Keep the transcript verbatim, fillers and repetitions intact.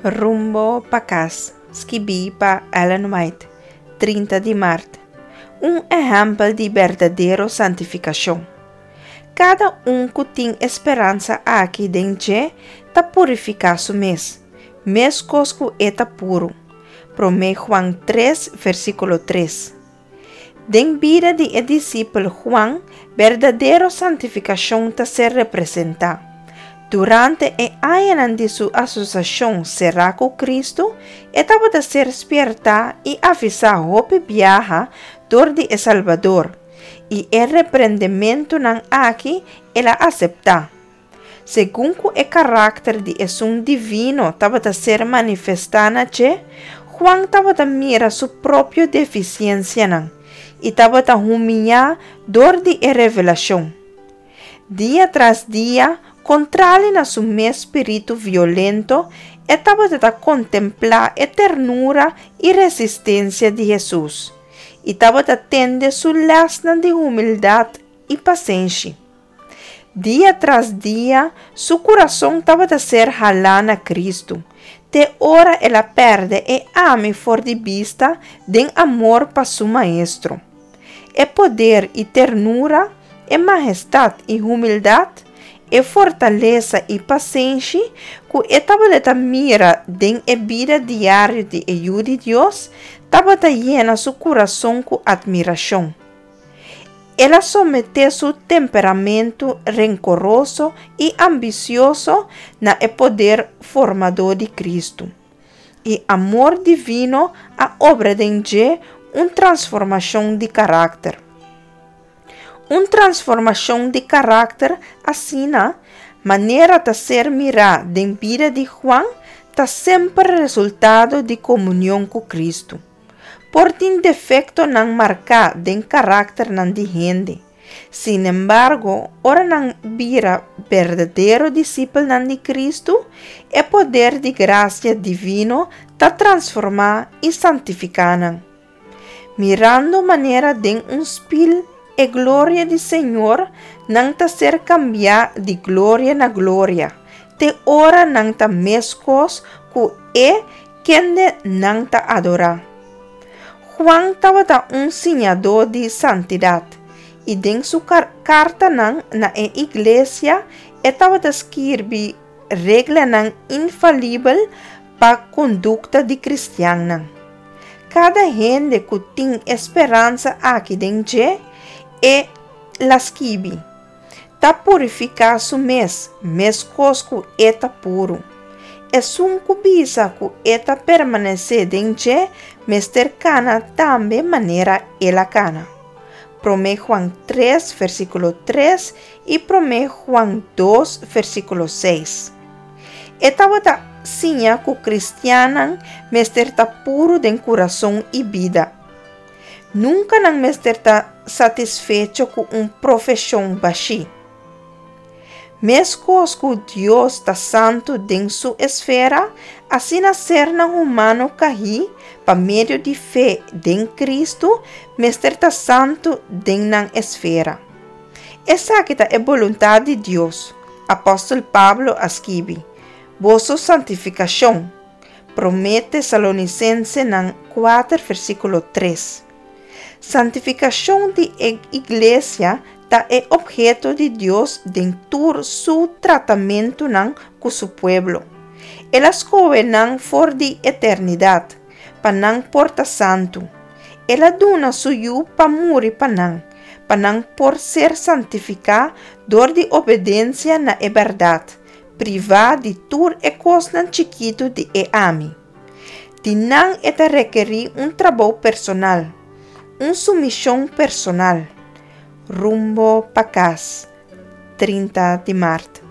Rumbo pa kas, skibí pa Ellen White, trinta di mart. Un ehèmpel di berdadero santifikashon. Kada un ku tin e speransa aki den dje ta purifiká su mes, meskos ku e ta puru. Promé Juan tres, versíkulo tres. Den bida di e disipel Juan, berdadero santifikashon ta ser representá. Durante e añanan di su asosiashon será ku Kristu, e tabata ser spièrtá i avisá hopi biaha dor di e Salbador, i e reprendementunan aki el a aseptá. Segun ku e karakter di Esun Divino tabata ser manifestá na dje, Juan tabata mira su propio defisiensianan i tabata humiliá dor di e revelashon. Dia tras dia, kontrali na su mes spiritu violento, e tabata kontemplá e ternura i resistensia di Hesus, i tabata tende su lèsnan di humildat i pasenshi. Dia tras dia, su kurason tabata ser halá na Kristu, te ora el a pèrdè e ami for di bista den amor pa su Maestro. E poder i ternura, e mahestat i humildat, e fortalesa i pasenshi ku e tabata mira den e bida diario di e Yu di Dios, tabata yena su kurason ku atmirashon. El a someté su temperamento renkoroso i ambisioso na e poder formadó di Kristu. I amor divino a obra den dje un transformashon di karakter. Un transformashon di karakter asina, manera ta ser mirá den bida di Juan, ta semper resultado di komunion ku Kristu. Por tin defektonan marká den karakternan di hende. Sin embargo, ora nan bira berdadero disipelnan di Kristu, e poder di grasia divino ta transformá i santifiká nan. Mirando manera den un spil e gloria di Señor, nan ta ser kambiá di gloria na gloria, te ora nan ta meskos ku e kende nan ta adorá. Juan tabata un siñadó di santidat, i den su kartanan na e iglesia e tabata skirbi reglanan infalibel pa kondukta di kristiannan. Kada hende ku tin e speransa aki den dje, el a skibi, ta purifiká su mes, meskos ku e ta puru. Esun ku bisa ku e ta permanesé den dje, mester kana tambe manera el a kana. Promé Juan tres, versíkulo tres i Promé Juan dos, versíkulo seis. E tabata siña ku kristiannan mester ta puru den kurason i bida. Nunka nan mester ta satisfecho ku un profeshon bashí. Meskos ku Dios ta santu den su esfera, asina sernan humano kaí pa medio di fe den Kristu mester ta santu den nan esfera. Esaki ta e boluntat di Dios, Apòstel Pablo a skibi, Boso santifikashon, Promé Tesalonisensenan kuater versíkulo tres. Santifikashon di e iglesia ta e obheto di Dios den tur su tratamentunan ku su pueblo. El a skohe nan for di eternidat, pa nan por ta santu. El a duna su Yu pa muri pa nan, pa nan por ser santifiká dor di obedensia na e bèrdat, privá di tur e kosnan chikitu di e ami. Di nan e ta rekerí un trabou personal, un sumishon personal. Rumbo pa kas, trinta di mart.